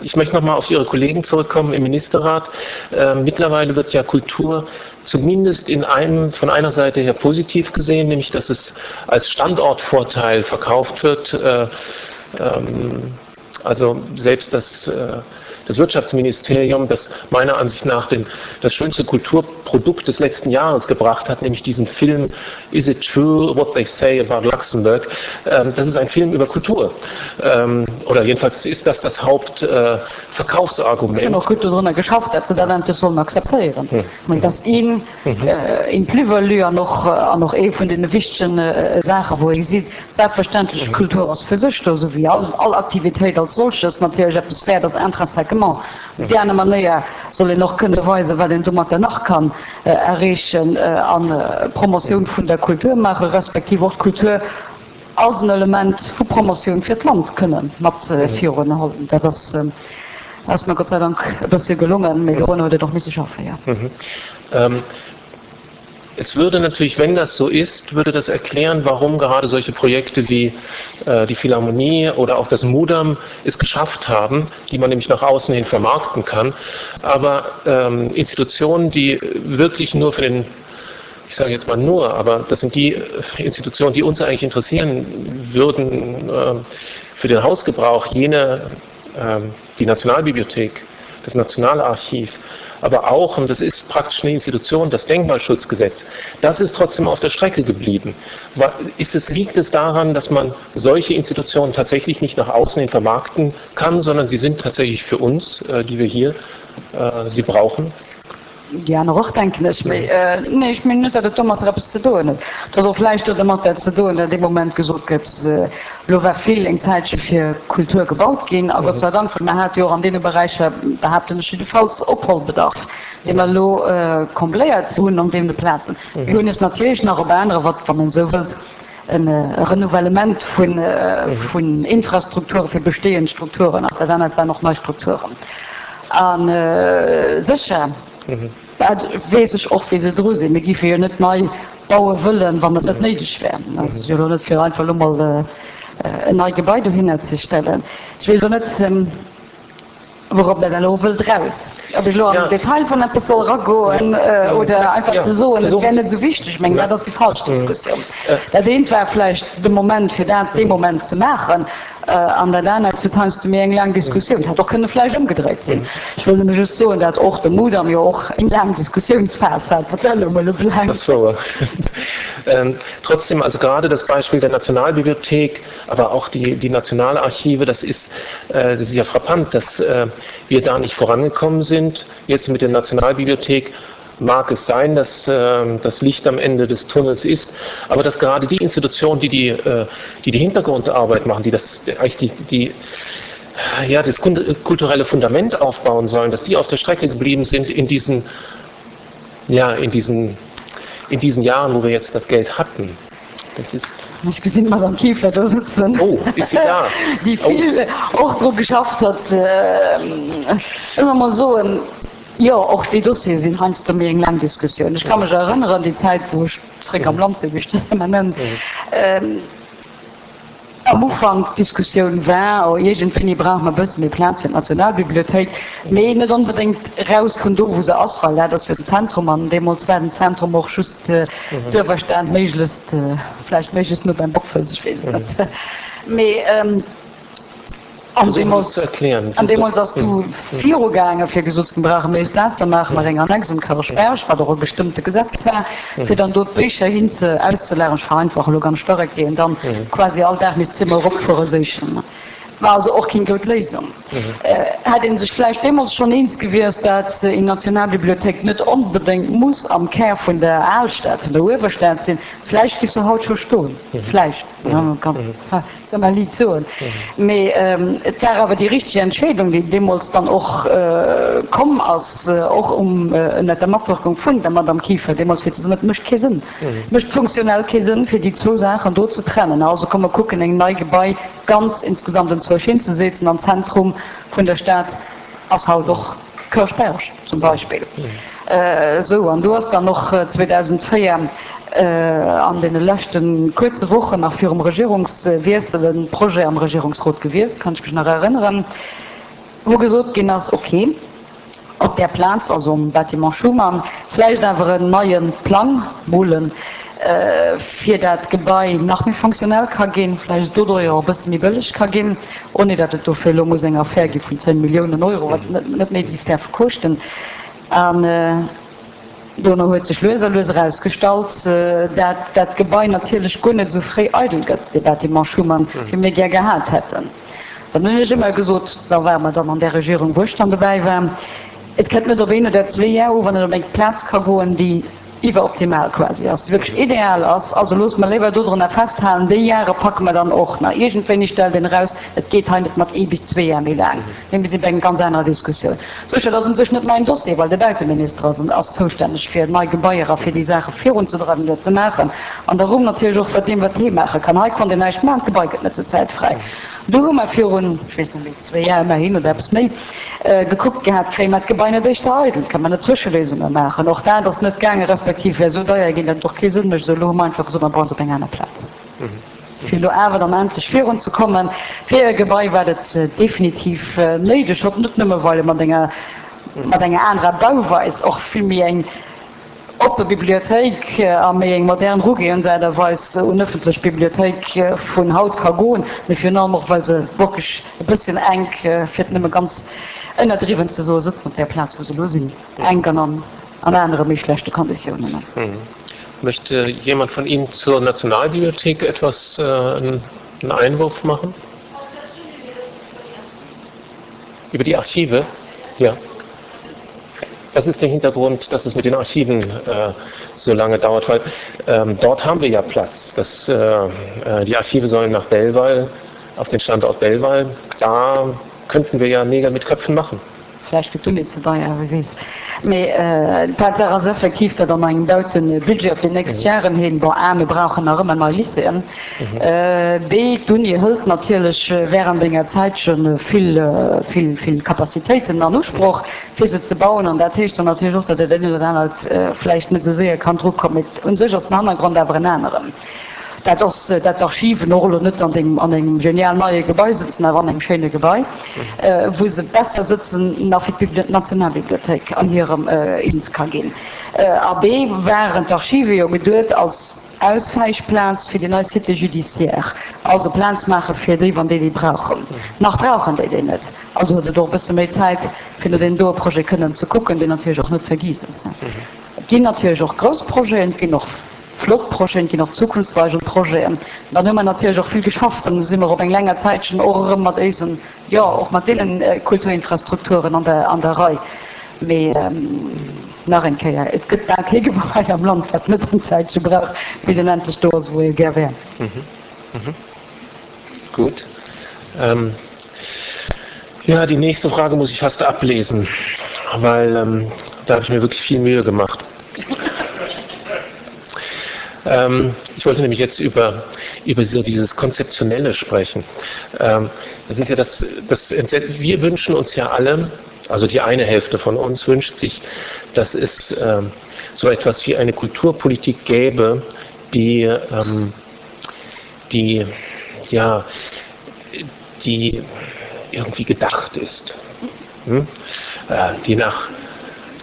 Ich möchte noch mal auf Ihre Kollegen zurückkommen im Ministerrat. Ähm, mittlerweile wird ja Kultur zumindest in einem, von einer Seite her positiv gesehen, nämlich dass es als Standortvorteil verkauft wird. Äh, ähm, also selbst das, äh, das Wirtschaftsministerium, das meiner Ansicht nach den, das schönste Kulturprodukt des letzten Jahres gebracht hat, nämlich diesen Film Is it true what they say about Luxembourg? Ähm, das ist ein Film über Kultur. Ähm, oder jedenfalls ist das das Hauptverkaufsargument. Äh, och gutt dorunner geschafft, datt se dat endlech sollen akzeptéieren. Ech mengen, dat ass een, een Plus-value an och, an och ee vun deene wichtegen Saachen, wou ee seet, Selbstverständlech, d'Kultur ass fir sech do, esou wéi all, all Aktivitéit als solches natierlech eppes wäert ass intrinsèquement. Op déi aner Manéier soll een och kënne weisen, wat een domatter nach kann erreechen an Promotioun vun der Kultur maachen, respektiv och d'Kultur als en Element vu Promotioun fir d'Land kënne mat virunhuelen. Dat ass, ass mer Gott sei Dank e bëssche gelongen, mee dorun huet et och misse schaffen, jo. Es würde natürlich, wenn das so ist, würde das erklären, warum gerade solche Projekte wie äh, die Philharmonie oder auch das Mudam es geschafft haben, die man nämlich nach außen hin vermarkten kann. Aber ähm, Institutionen, die wirklich nur für den ich sage jetzt mal nur, aber das sind die äh, Institutionen, die uns eigentlich interessieren würden äh, für den Hausgebrauch, jene äh, die Nationalbibliothek, das Nationalarchiv, aber auch, und das ist praktisch eine Institution, das Denkmalschutzgesetz, das ist trotzdem auf der Strecke geblieben. Ist es, liegt es daran, dass man solche Institutionen tatsächlich nicht nach außen hin vermarkten kann, sondern sie sind tatsächlich für uns, äh, die wir hier äh, sie brauchen? Déi aner och, denken ech. Mee nee, ech mengen net, datt et domatter eppes ze doen huet. Et huet och vläicht domatter ze doen, datt dee Moment gesot gëtt, elo war vill eng Zäitche fir Kultur gebaut ginn, a Gott sei Dank, well mer hate jo och an deene Beräicher, behaapten ech jiddefalls, Opholbedarf, dee mer elo combléiert hunn an deene Plazen. Mir hunn es natierlech nach op anere, wat, wann een esou wëllt, e Renouvellement vun Infrastrukture fir bestehend Strukturen ass. Dat anert waren och nei Strukturen. A sécher, dat weess ech och, wéi se dru sinn. Mir géife jo net nei baue wëllen, wann et net néideg wär. Dat ass jo elo net, fir einfach elo mol en neit Gebai dohinner ze stellen. Ech weess elo net. Wourop dat elo wëllt eraus? Ob ech elo an den Detail vun eppes soll eragoen oder einfach ze soen, et wär net esou wichteg, ech mengen, dat ass déi falsch Diskussioun. Dat eent war vläicht de Moment, fir dat dee Moment ze maachen, an dat anert huet heiansdo méi eng laang Diskussioun. Et hätt och kënne vläicht ëmgedréit sinn. Ech wëll nëmme just soen, dat och de Mudam jo och eng laang Diskussiounsphas hat, wat dat elo emol ubelaangt. Dat ass wouer. Trotzdem, also gerade das Beispiel der Nationalbibliothek, aber auch die, die Nationalarchive, das ist, äh, das ist ja frappant, dass äh, wir da nicht vorangekommen sind. Jetzt mit der Nationalbibliothek mag es sein, dass äh, das Licht am Ende des Tunnels ist, aber dass gerade die Institutionen, die die, äh, die, die Hintergrundarbeit machen, die das eigentlich die, die ja, das kulturelle Fundament aufbauen sollen, dass die auf der Strecke geblieben sind in diesen, ja, in diesen, in diesen Jahren, wo wir jetzt das Geld hatten. Das ist Ech gesinn d'Madame Kieffer do sëtzen, oh, ist sie da? déi vill oh. och dru geschafft huet. Ech wëll mol soen, jo, och déi Dossiere sinn heiansdo méi eng laang Diskussioun. Ech ka mech erënneren, déi Zäit, wou ech zréck am Land sinn, wéi ech dat ëmmer nennen, Am Ufank d'Diskussioun war, oh iergendwéini brauche mer e bësse méi Plaz fir d'Nationalbibliothéik, mee net onbedéngt raus vun do wou se ass, well dat ass jo den Zentrum an deemools war den Zentrum och just d'Uewerstad, méiglechst, vläicht méiglechst no beim Bockfels, ech weess et net. Mee An deemools, an deemools ass du virugaange fir gesot ze ginn, brauche méi Plaz, da maache mer eng Annex um Kërchberg, wat och e bestëmmte Gesetz war, fir dann do d'Bécher hin ze auszelageren. Ech vereinfache elo ganz stark, déi een dann quasi all Dag misst zweemol eropfuere séichen. War also och keng goud Léisung. Hätt ee sech vläicht deemools schonn eens gewiescht, dat eng Nationalbibliothéik net onbedéngt muss am Kär vun der Alstad, vun der Uewerstad sinn, vläicht giff se haut scho stoen. Vläicht. Soll mer liit soen. Mee et war awer déi richteg Entscheedung, déi deemools dann och komm ass, och ënnert der Matwirkung vun der Madame Kieffer deemools, fir ze soen, et mécht kee Sënn, et mécht funktionell kee Sënn, fir déi zwou Saachen do ze trennen. Also komm mer kucken, eng nei Gebai ganz insgesamt enzwousch hinzesetzen am Zentrum vun der Stad ass haut och Kërchberg zum Beispill. Esou, an do ass dann och 2004 an deene leschte kuerze Wochen nach virum Regierungswiessel e Projet am Regierungsrot gewiescht, kann ech mech nach erënneren. Wou gesot ginn ass, okay, op där Plaz, also um Bâtiment Schuman, vläicht awer en neie Plang molen, fir dat d'Gebai nach méi fonctionnel ka ginn, vläicht doduerjer och e bësse méi bëlleg ka ginn, ouni datt et dofir elo muss eng Affär gi vun 10 Milliounen Euro, wat net méi géif däerfe koschten. An dono huet sech lues a lues erausgestallt, dat dat Gebai natierlech guer net esou fréi eidel gëtt, dee Bâtiment Schuman, wéi mir gär gehat hätten. Dann hunn ech ëmmer gesot, da ware mer dann an där Regierung, wou ech dann dobäi war, et kënnt net op een oder zwee Jar u, wann et op eng Plaz ka goen, déi iwweroptimal quasi ass, déi wierklech ideal ass. Also loosse mer léiwer dodrunner festhalen, déi Jahre packe mer dann och nach. Iergendwéini stellt een eraus, et geet hei net mat ee bis zwee Jar méi laang, mee mir si bei enger ganz anerer Diskussioun. Sécher, dat ass u sech net mäin Dossier, well de Bauteminister ass ass zoustänneg fir nei Gebaier a fir déi Saache virunzedreiwen oder ze maachen. An der Rumm natierlech och wat deem, wat hee maache kann. Hei konnt een näischt maachen, d'Gebai gëtt net zur Zäit fräi. Do hu mer virun, ech weess net méi, zwéi Jar ëmmerhin oder eppes méi, gekuckt gehat, kréie mer d'Gebai net éischter eidel, kënne mer net Zwëscheléisunge maachen. Och dat ass net gaangen, respektiv wär esou deier ginn, datt et och kee Sënn mécht. Esou elo hu mer einfach gesot, mer bauen se op eng aner Plaz. Fir elo awer dann endlech virunzekommen, fir e Gebai, wat et definitiv néideg hott, net nëmme well e mat enger, mat enger anerer Bauweis och vill méi eng oppe Bibliothéik a méi eng modern Rugeeënsaart a Weis un ëffentlech Bibliothéik vun haut ka goen, mee virun allem och well se wierklech e bësschen enk, fir et nëmme ganz ënnerdriwwen ze soen, sëtzen op där Plaz wou se elo sinn, enk an an anere méi schlechte Konditiounen. Möchte jemand von Ihnen zur Nationalbibliothek etwas äh, einen Einwurf machen? Über die Archive? Ja. Das ist der Hintergrund, dass es mit den Archiven äh, so lange dauert, weil ähm, dort haben wir ja Platz. Das, äh, äh die Archive sollen nach Belval, auf den Standort Belval. Da könnten wir ja Nägel mit Köpfen machen. Vläicht gëtt d'Uni ze deier, wie weess. Mee d'Tatsaach ass effektiv, datt an engem Bauten-Budget op déi nächst Jaren hin, bon, a mir brauchen nach ëmmer nei Lycéeën, b d'Uni hëlt natierlech während enger Zäitche vill, vill, vill Capacitéiten an Usproch, fir se ze bauen. An dat heescht dann natierlech och, datt dat eent oder dat anert vläicht net esou séier kann drukommen. Mee u sech ass den Hannergrond awer en aneren. Dat ass, dat d'Archiven och elo net an deem, an engem genial neie Gebai sëtzen, awer an engem schéine Gebai, wou se besser sëtzen nach wéi d'Nationalbibliothéik an hirem eens ka ginn. A B waren d'Archive jo geduet als Auswäichplaz fir déi nei Cité judiciaire, also Plaz maache fir déi, wann déi déi brauchen. Nach brauchen déi déi net. Also huet et och e bësse méi Zäit, fir no deem doe Projet kënnen ze kucken, deen natierlech och net vergiess ass. Et ginn natierlech och grouss Projeten, et ginn och flott Projeten, et ginn och zukunftsweisend Projeten. Dann hu mer natierlech och vill geschafft an do si mer op eng länger Zäitchen och erëm mat éisen, jo, och mat deene Kulturinfrastrukturen an der, an der Rei. Mee nach eng Kéier, et gëtt bal kee Gebai am Land, wat net eng Zäitche brauch, bis en endlech do ass, wou ee gär wär. Gut. Ähm, ja, die nächste Frage muss ich fast ablesen, weil ähm, da habe ich mir wirklich viel Mühe gemacht. Ähm, ich wollte nämlich jetzt über, über so dieses Konzeptionelle sprechen. Ähm, das ist ja das, das wir wünschen uns ja alle, also die eine Hälfte von uns wünscht sich, dass es ähm, so etwas wie eine Kulturpolitik gäbe, die, ähm, die ja die irgendwie gedacht ist, hm? äh, die nach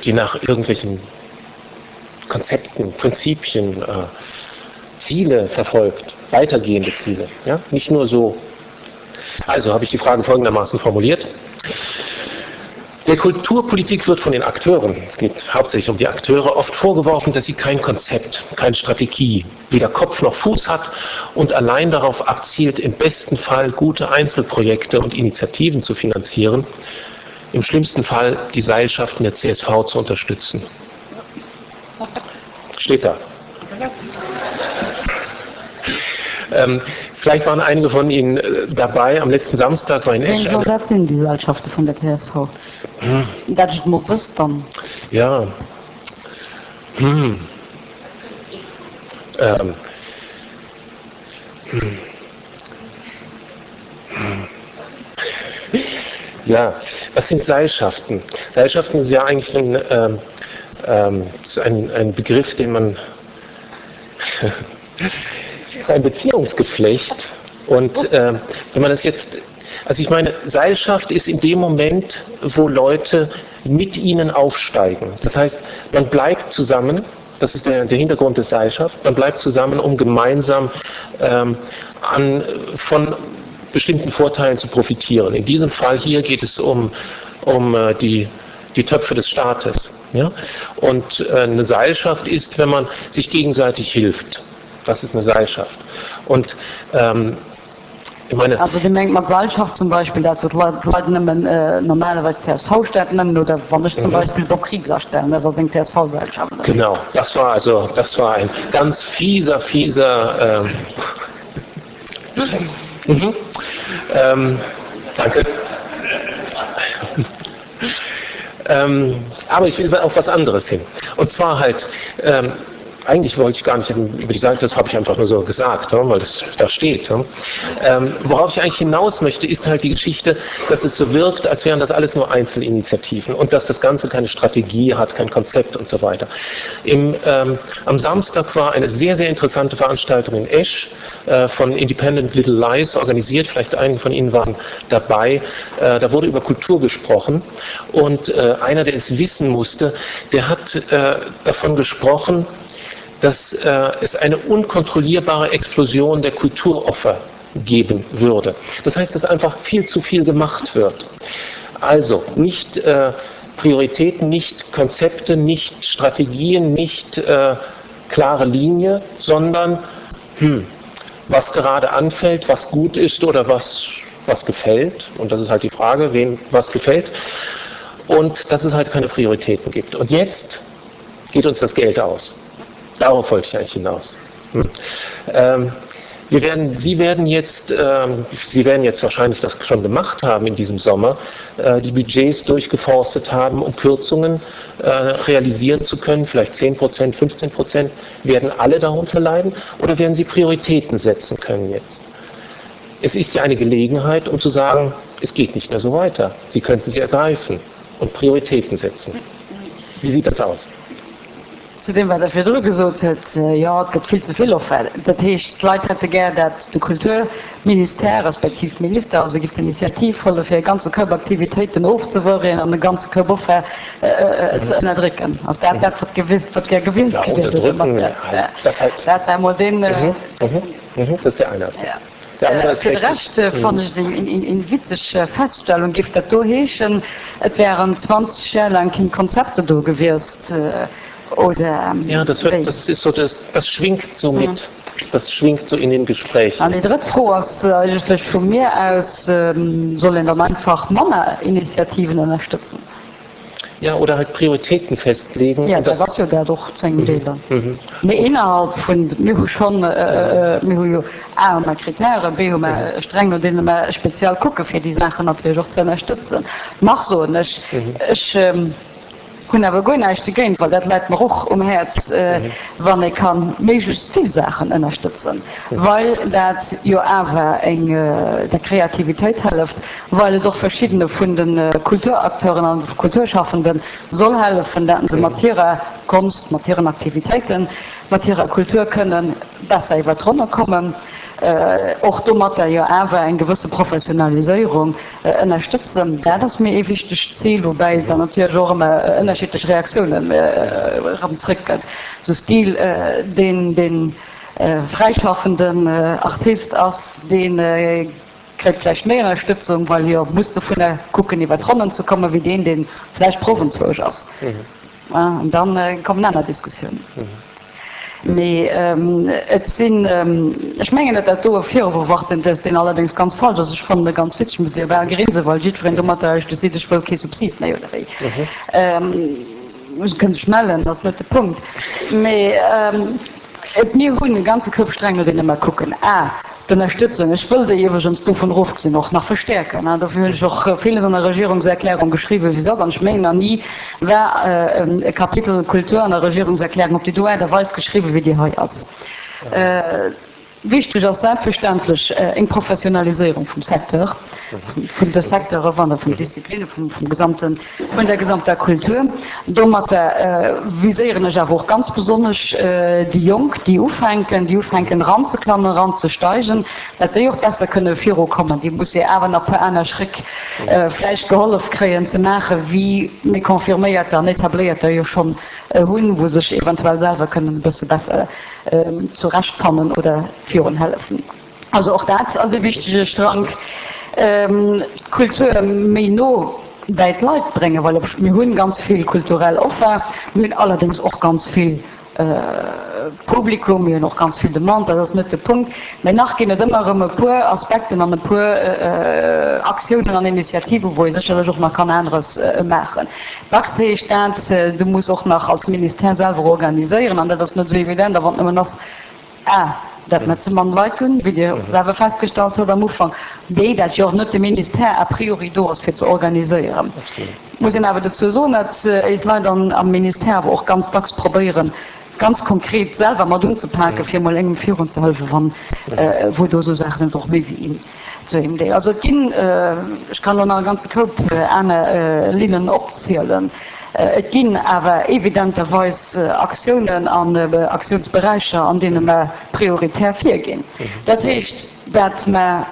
die nach irgendwelchen Konzepten, Prinzipien, äh, Ziele verfolgt, weitergehende Ziele, ja? nicht nur so. Also habe ich die Frage folgendermaßen formuliert. Der Kulturpolitik wird von den Akteuren, es geht hauptsächlich um die Akteure, oft vorgeworfen, dass sie kein Konzept, keine Strategie, weder Kopf noch Fuß hat und allein darauf abzielt, im besten Fall gute Einzelprojekte und Initiativen zu finanzieren, im schlimmsten Fall die Seilschaften der CSV zu unterstützen. Steht da. Ähm, vielleicht waren einige von Ihnen äh, dabei. Am letzten Samstag war in Esch. Dat sinn déi Seilschafte vun der CSV. Hm. Dat ech mol wësst dann. Ja. Hm. Ähm. Hm. Hm. Ja, was sind Seilschaften? Seilschaften ist ja eigentlich ein, ähm, ähm, ein, ein Begriff, den man ist ein Beziehungsgeflecht und äh, wenn man das jetzt. Also ich meine, Seilschaft ist in dem Moment, wo Leute mit ihnen aufsteigen. Das heißt, man bleibt zusammen, das ist der, der Hintergrund des Seilschaft, man bleibt zusammen, um gemeinsam ähm, an, von bestimmten Vorteilen zu profitieren. In diesem Fall hier geht es um, um äh, die, die Töpfe des Staates. Ja? Und äh, eine Seilschaft ist, wenn man sich gegenseitig hilft. Das ist eine Seilschaft. Und ähm, ich meine, also Dir mengt mat Seilschaft zum Beispill dat wou d'Leit nëmmen normalerweis d'CSV-Stad nennen oder wann ech zum mhm. Beispiel Bob Kriegs astellen, dat ass eng CSV-Seilschaft. Genau, das war also das war ein ganz fieser fieser ähm, mhm. ähm, danke. ähm, aber ich will auf was anderes hin. Und zwar halt ähm, eigentlich wollte ich gar nicht über die Seite, das habe ich einfach nur so gesagt, weil das da steht. Ähm, worauf ich eigentlich hinaus möchte, ist halt die Geschichte, dass es so wirkt, als wären das alles nur Einzelinitiativen und dass das Ganze keine Strategie hat, kein Konzept und so weiter. Im, ähm, am Samstag war eine sehr, sehr interessante Veranstaltung in Esch äh, von Independent Little Lies organisiert, vielleicht einen von Ihnen waren dabei. Äh, da wurde über Kultur gesprochen und äh, einer, der es wissen musste, der hat äh, davon gesprochen, dass äh, es eine unkontrollierbare Explosion der Kulturoffer geben würde. Das heißt, dass einfach viel zu viel gemacht wird. Also nicht äh, Prioritäten, nicht Konzepte, nicht Strategien, nicht äh, klare Linie, sondern hm, was gerade anfällt, was gut ist oder was, was gefällt. Und das ist halt die Frage, wem was gefällt. Und dass es halt keine Prioritäten gibt. Und jetzt geht uns das Geld aus. Darauf wollte ich eigentlich hinaus. Hm. Ähm, wir werden, Sie werden jetzt, ähm, Sie werden jetzt wahrscheinlich das schon gemacht haben in diesem Sommer, äh, die Budgets durchgeforstet haben, um Kürzungen äh, realisieren zu können, vielleicht 10 Prozent, 15 Prozent. Werden alle darunter leiden oder werden Sie Prioritäten setzen können jetzt? Es ist ja eine Gelegenheit, um zu sagen, es geht nicht mehr so weiter. Sie könnten sie ergreifen und Prioritäten setzen. Wie sieht das aus? Zu deem, wat Der virdru gesot hutt, Jo, et gëtt vill ze vill Offert. Dat heescht, d'Leit hätte gär, dat de Kulturministère respektiv d'Minister also giff d'Initiativ huelen, fir e ganze Koup Aktivitéiten ofzewëreen an e ganze Koup Offert ze ënnerdrécken. Ass dat dat, wat gewisst, wat gär gewielt gewiert hutt? Dat war emol deen. Dat ass der eine Aspekt. Fir de Rescht fannen ech et eng witzeg Feststellung. Géif dat do heeschen, et wären 20 Jar laang keng Konzepter do gewiesst, oder wéi? Das schwingt so mit, das schwingt so in den Gesprächen. An déi drëtt Fro ass eigentlech vu mir aus, Soll een dann einfach manner Initiativen ënnerstëtzen? Ja, oder halt Prioritäten festlegen. Ja, dat ass jo dat och zu engem Deel dann. Mee innerhalb vun, mir hu schonn, mir hu jo A hu mer Kritären, B hu mer streng, no deene mer speziell kucke fir déi Saachen natierlech och ze ënnerstëtzen. Nach soen ech, ech hunn awer guer näischt dogéint, well dat läit mer och um Häerz, wann ee ka méiglechst vill Saachen ënnerstëtzen, well dat jo awer eng der Kreativitéit hëlleft. well et och verschiddene vun de Kulturacteuren an Kulturschaffende soll hellefen, dat se mat hirer Konst, mat hiren Aktivitéiten, mat hirer Kultur kënnen besser iwwer d'Ronne kommen, och domatter jo awer eng gewësse Professionaliséierung ënnerstëtzen. Dat ass mir ee wichtegt Zil, woubäi et dann natierlech och ëmmer ënnerschiddlech Reaktiounen erëm zrëckgëtt. Sou Stil, deen dee fräischaffenden Artist ass, dee Kréit vläicht méi Ënnerstëtzung, well hie muss dovunner kucken iwwer d'Ronnen ze kommen, wéi deen, dee vläicht proff enzwousch ass. An da kommen aner Diskussiounen. Mee et sinn, ech mengen net, dat do e Virwurf ass, deen allerdéngs ganz falsch ass. Ech fannen e ganz witzeg, muss Dir bal grinsen, well jiddwereen domatter eigentlech seet, ech wëll kee Subsid méi, oder wéi. Kënnt sech mellen, dat ass net de Punkt. Mee et, mir hunn e ganze Koup Sträng, no deene mer kucken. A, d'Ënnerstëtzung, ech wëll déi iwwregens dovun erofgesinn och nach verstäerken, dofir hunn ech och villes an der Regierungserklärung geschriwwen, wéi se ass. An ech mengen, nach ni war e Kapitel Kultur an der Regierungserklärung op déi do Aart a Weis geschriwwen, wéi déi hei ass. Wichteg ass selbstverständlech eng Professionaliséierung vum Secteur, vun de Secteure wann der vun Disziplinne vum gesamten, vun der gesamter Kultur. Domatter viséieren ech awer och ganz besonnesch déi Jonk, déi ufänken, déi ufänken eranzeklammen, eranzesteigen, dat déi och besser kënne virukommen. Déi musse awer nach e puer aner Schréck vläicht gehollef kréien ze maachen, wéi méi Confirméierter an Etabléierter jo schonn hunn, wou sech eventuell selwer kënnen e bësse besser zurechtfannen oder virun hellefen. Also och dat ass e wichtege Strank, d'Kultur méi no bäi d'Leit bréngen, well mir hunn ganz vill kulturell Offer, mir hunn allerdéngs och ganz vill Publikum, mir hunn och ganz vill Demande, dat ass net de Punkt, mä nach ginn et ëmmer erëm e puer Aspekten an e puer Aktiounen an Initiativen, wou ee sécherlech och nach kann aneres maachen. Dacks heescht dat, du muss och nach als Ministère selwer organiséieren, an dat ass net esou evident. A wann et nëmmen ass, a dat mer ze mann Leit hunn, wéi Dir selwer festgestallt hutt am Ufank, b dat jo och net de Ministère a priori do ass fir ze organiséieren. Et muss een awer dozou soen, datt éis Leit am Ministère awer och ganz dacks probéieren, ganz konkret selwer mat unzepaken, fir emol engem virunzehëllefen, wann wou do esou Saache sinn, och méi wéi een. Zu engem Deel. Also et ginn, ech kann elo nach e ganze Koup aner Linnen opzielen, et ginn awer evidenterweis Aktiounen an Aktiounsberäicher, an deene mer prioritär virginn. Dat heescht, dat mer,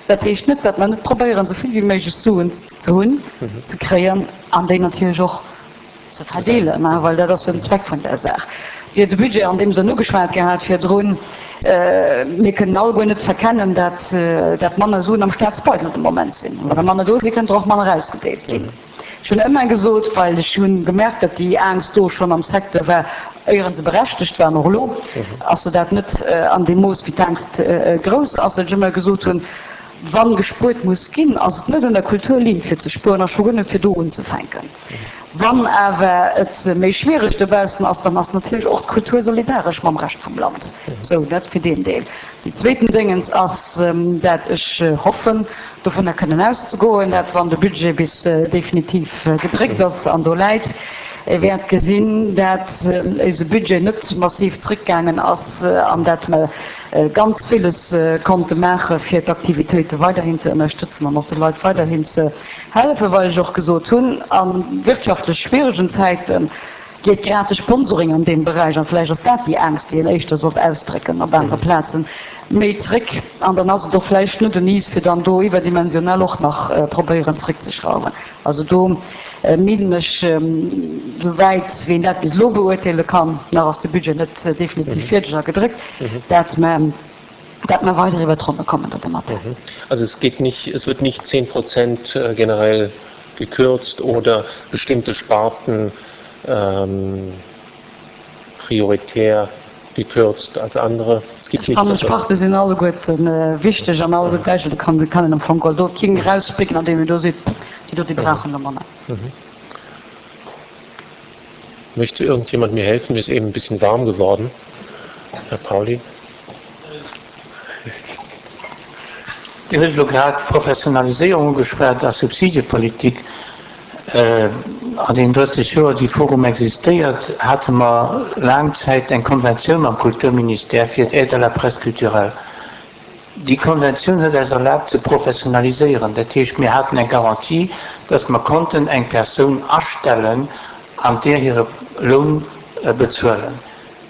dat heescht net, dat mer net probéieren, esou vill wéi méiglech Suen ze hunn, ze kréien an déi natierlech och ze verdeelen, well dat ass jo den Zweck vun där Saach. Dir hutt de Budget an deem Sënn ugeschwat gehat virdrun. Mir kënnen alleguer net verkennen, dat dat manner Suen am Staatsbeidel de Moment sinn. Wa der manner do sinn, kënnt der och manner ausgedeelt ginn. Ech hunn ëmmer gesot, well ech hu gemerkt, datt déi Aangst do schonn am Secteur war, éieren se berechtegt war, an och elo ass se dat net an deem Mooss, wéi d'Aangst grouss ass, datt ech ëmmer gesot hunn, Wa gespuert muss ginn, ass et net un der Kulturlinn fir ze spueren a scho guer net fir do unzefänken. Wann awer et méi schwiereg dobaussen ass, dann ass natierlech och d'Kultur solidaresch mam Rescht vum Land. Sou, dat fir deen Deel. Déi zweeten Déngens ass, dat ech hoffen, dovunner kënnen auszegoen, dat wann de Budget bis definitiv gedréckt ass an do läit, ee wäert gesinn, dat eise Budget net massiv zrëckgaangen ass an dat mer ganz villes konnte maache fir d'Aktivitéite weiderhin ze ënnerstëtzen an och de Leit weiderhin ze hellefen, well ech och gesot hunn, a wirtschaftlech schwieregen Zäite geet grad de Sponsoring an deem Beräich, an vläicht ass dat déi Aangst, déi een éischter sollt ausdrécken op anere Plazen, méi zréck. An dann ass et och vläicht net un is, fir dann do iwwerdimensionell och nach probéieren zréckzeschrauwen. Also do meengen ech, souwäit wéi een dat bis elo beurteele kann, nach ass de Budget net definitiv fierdeg a gedréckt, dat mer, dat mer weider iwwert d'Ronne kommen domadder. Also es geht nicht, es wird nicht 10 Prozent generell gekürzt oder bestimmte Sparten prioritär gekürzt als andere. Es gibt nicht. Ech fannen, d'Sparte sinn alleguerten wichteg an alleguer gläich. Do kann een am Fong geholl do keen erauspicken, an deem een do seet, déi do, déi brauchen elo manner. Möchte irgendjemand mir helfen? Mir ist eben ein bisschen warm geworden. Herr Pauly. Dir hutt elo grad Professionaliséierung ugeschwat a Subsidepolitik. An deenen 30 Joer, déi Forum existéiert, hate mer laang Zäit eng Konventioun mam Kulturministère fir d'Aide à la presse culturelle. Déi Konventioun huet eis erlaabt ze professionaliséieren. Dat heescht, mir haten eng Garantie, dass mer konnten eng Persoun astellen an där hire Loun bezuelen.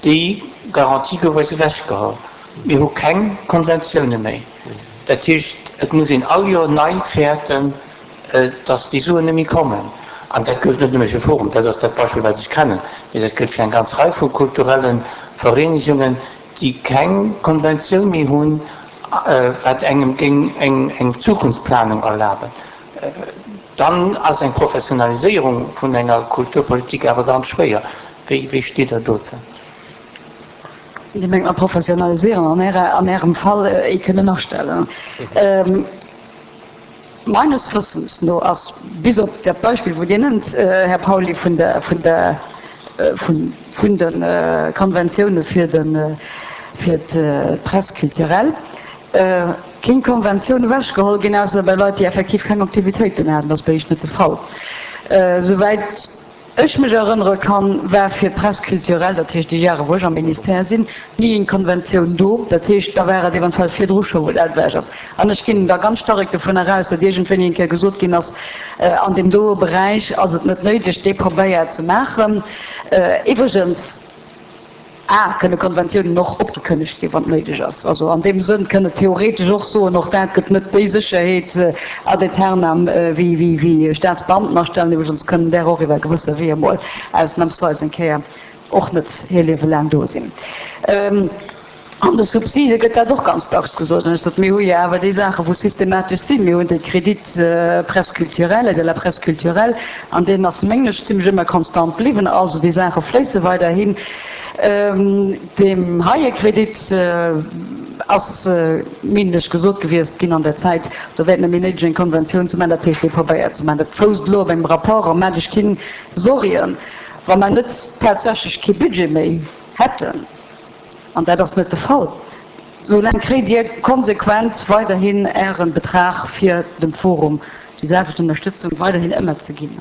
Déi Garantie gouf eis ewechgeholl. Mir hu keng Konventioune méi. Dat heescht, et muss een all Joer nei fäerten, dass déi Suen net méi kommen. An dat gëllt net nëmme fir Forum, dat ass dat Beispill, wat ech kennen, mee dat gëllt fir eng ganz Rei vu kulturelle Vereenegungen, déi keng Konventioun méi hunn, wat engem géing eng Zukunftsplanung erlaben. Dann ass eng Professionaliséierung vun enger Kulturpolitik awer ganz schwéier. Wéi steet Der dozou? Dir mengt mat professionaliséieren an Ärem Fall ee kënnen astellen? Meines Wëssens no ass, bis op dat Beispill, wou Dir nennt, Här Pauly, vun der, vun der, vun, vun de Konventioune fir de, fir d'Presse culturelle, keng Konventioun ewechgeholl ginn, ausser bei Leit, déi effektiv keng Aktivitéiten haten. Dat ass bei Iech net de Fall, souwäit. ech mech erënnere kann, war fir d'Presse culturelle, dat heescht déi Jahre wou ech am Ministère sinn, ni eng Konventioun do. Dat heescht, da war et eventuell virdru scho wou dat ewech ass. An ech ginn da ganz stark dovunner aus, datt iergendwéini eng Kéier gesot ginn ass, an deem doe Beräich ass et net néideg, dee Pabeier ze maachen. Iwwregens. A, kënne Konventiounen och opgekënnegt ginn, wann et néideg ass. Also an deem Sënn kënn et theoretesch och soen, och dat gëtt net déi Sécherheet ad aeternam wéi wéi Staatsbeamten astellen. Iwwregens kënnen där och iwwer gewësse Weeër mol ausnamsweis eng Kéier och net hir Liewe laang do sinn. An de Subside gëtt dat och ganz dacks gesot. An ech sot, mir hu jo awer déi Saache wou systematesch sinn. Mir hunn de Crédit presse culturelle, aide à la presse culturelle, an deen ass, mengen ech, zimlech ëmmer konstant bliwwen. Also déi Saache fléisse weiderhin. Deem heie Crédit ass, meengen ech, gesot gewiesst ginn an der Zäit, do wär et net méi néideg eng Konventioun ze maachen, dat heescht dee Pabeier ze maachen. Dat fousst elo op engem Rapport a maacht Iech keng Sorgen, wa mer net tatsächlech kee Budget méi hätten. An dat ass net de Fall. Soulaang kréit Dir konsequent weiderhin Äre Betrag fir dem Forum déi selwecht Ënnerstëtzung weiderhin ëmmer ze ginn.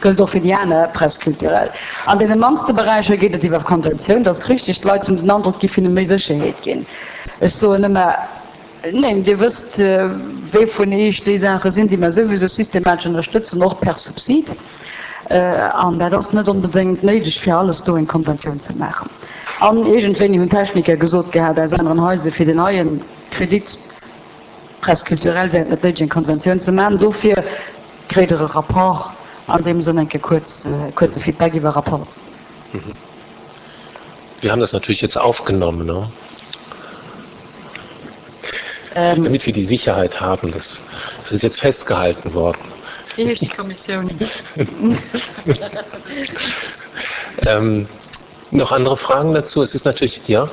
Gëllt och fir déi aner Presse culturelle. An deene mannste Beräicher geet et iwwer Konventioun. Dat ass richtig. D'Leit hunn den Androck, et géif hinne méi Sécherheet ginn. Ech soen ëmmer, Neen, Dir wësst, wee vun Iech déi Saache sinn, déi mer souwisou systematesch ënnerstëtzen, och per Subsid. An dat ass net onbedéngt néideg, fir alles do eng Konventioun ze maachen. An iergendwéini hunn d'Techniker gesot gehat aus aneren Haiser, fir deen neie Crédit Presse culturelle wär et net néideg, eng Konventioun ze maachen. Dofir kréit Der e Rapport, an deem Sënn eng Kéier kuerz, kuerze Feedback iwwer Rapport. Wir haben das natürlich jetzt aufgenommen, ne? Ähm, Damit wir die Sicherheit haben, das, das ist jetzt festgehalten worden. Wie heescht déi Kommissioun? ähm, noch andere Fragen dazu? Es ist natürlich ja.